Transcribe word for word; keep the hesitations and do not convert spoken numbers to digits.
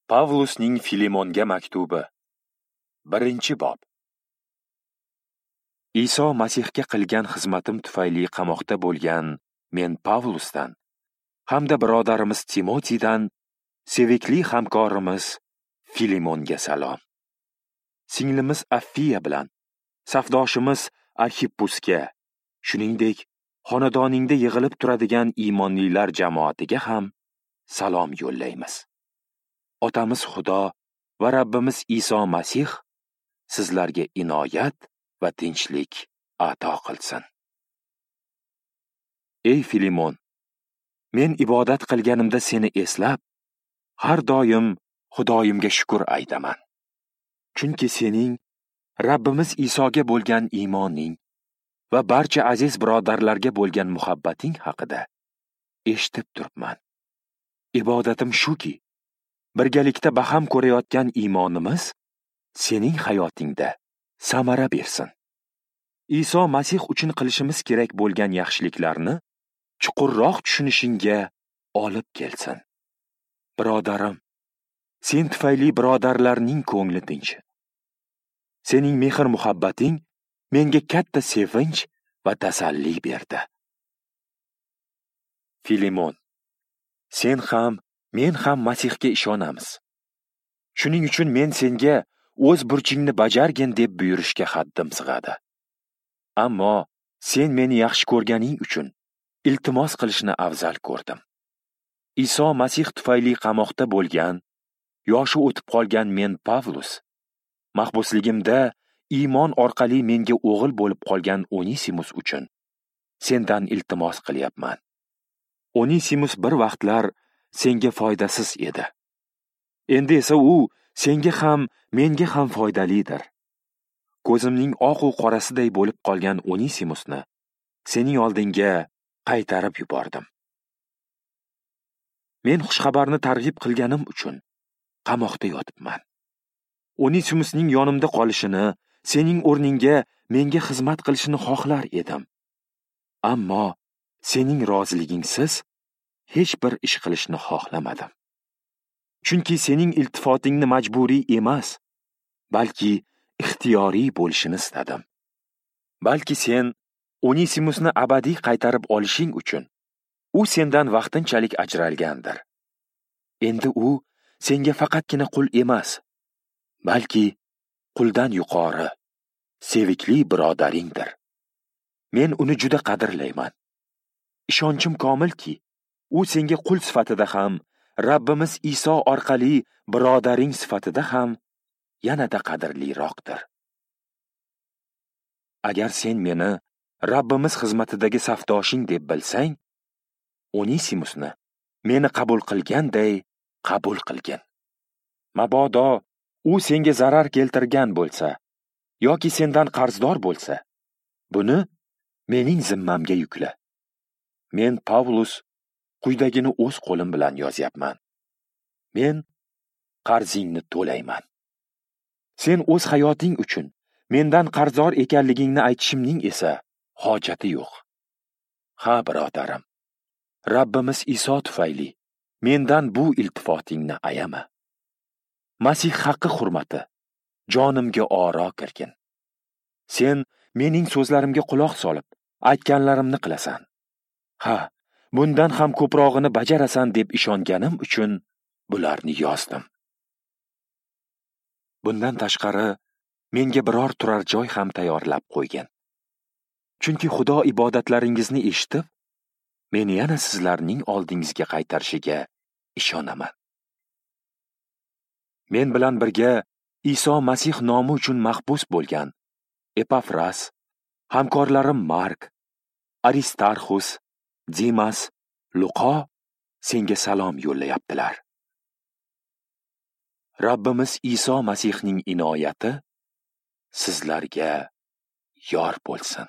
Pavlusning Filemonga maktubi. Birinchi bob. Iso Masihga qilgan xizmatim tufayli qamoqda bo'lgan men Pavlusdan hamda birodarimiz Timotiydan sevikli hamkorimiz Filemonga salom. Singlimiz Affiya bilan safdoshimiz Arxippusga, shuningdek, xonadoningda yig'ilib turadigan iymonlilar jamoatiga ham salom yo'llaymiz. Otamiz Xudo va Rabbimiz Iso Masih sizlarga inoyat va tinchlik ato qilsin. Ey Filemon, men ibodat qilganimda seni eslab, har doim Xudoyimga shukr aytaman. Chunki sening Rabbimiz Isoga bo'lgan iymoning va barcha aziz birodarlarga bo'lgan muhabbating haqida eshitib turibman. Ibodatim shuki, birgalikda baham ko'rayotgan iymonimiz sening hayotingda samara bersin. Iso Masih uchun qilishimiz kerak bo'lgan yaxshiliklarni chuqurroq tushunishingga olib kelsin. Birodarim, sen tufayli birodarlarning ko'ngli tinch. Sening mehr-muhabbating menga katta sevinch va tasalli berdi. Filemon, sen ham, men ham Masihga ishonamiz. Shuning uchun men senga o'z burchingni bajargin deb buyurishga haddim sig'adi. Ammo sen meni yaxshi ko'rganing uchun iltimos qilishni afzal ko'rdim. Iso Masih tufayli qamoqda bo'lgan, yoshi o'tib qolgan men Pavlus, mahbusligimda iymon orqali menga o'g'il bo'lib qolgan Onisimus uchun sendan iltimos qilyapman. Onisimus bir vaqtlar senga foydasiz edi. Endi esa u senga ham, menga ham foydalidir. Ko'zimning oq u qorasiday bo'lib qolgan Onisimusni sening oldingga qaytarib yubordim. Men xushxabarni targ'ib qilganim uchun qamoqda yotibman. Onisimusning yonimda qolishini, sening o'rningga menga xizmat qilishini xohlar edim. Ammo sening roziligingsiz hech bir ish qilishni xohlamadim. Chunki sening iltifotingni majburiy emas, balki ixtiyoriy bo'lishini istadim. Balki sen Onisimusni abadiy qaytarib olishing uchun u sendan vaqtinchalik ajralgandir. Endi u senga faqatgina qul emas, balki quldan yuqori, sevikli birodaringdir. Men uni juda qadrlayman. Ishonchim komilki, u senga qul sifatida ham, Rabbimiz Iso orqali birodaring sifatida ham yanada qadrliroqdir. Agar sen meni Rabbimiz xizmatidagi safdoshing deb bilsang, Onisimusni meni qabul qilganday qabul qilgin. Mabodo u senga zarar keltirgan bo'lsa yoki sendan qarzdor bo'lsa, buni mening zimmamga yukla. Men Pavlus quyidagini o'z qo'lim bilan yozyapman. Men qarzingni to'layman. Sen o'z hayoting uchun mendan qarzdor ekanligingni aytishimning esa hojati yo'q. Ha, birodarim, Rabbimiz Iso tufayli mendan bu iltifotingni ayama. Masih haqqi hurmati jonimga oro kirgin. Sen mening so'zlarimga quloq solib, aytganlarimni qilasan. Ha, bundan ham ko'prog'ini bajarasan deb ishonganim uchun bularni yozdim. Bundan tashqari menga biror turar joy ham tayyorlab qo'ygan. Chunki Xudo ibodatlaringizni eshitib, meni yana sizlarning oldingizga qaytarishiga ishonaman. Men bilan birga Iso Masih nomi uchun mahbus bo'lgan Epafras, hamkorlarim Mark, Aristarxus, Dimas, Luqo senga salom yo'llayaptilar. Rabbimiz Iso Masihning inoyati sizlarga yor bo'lsin.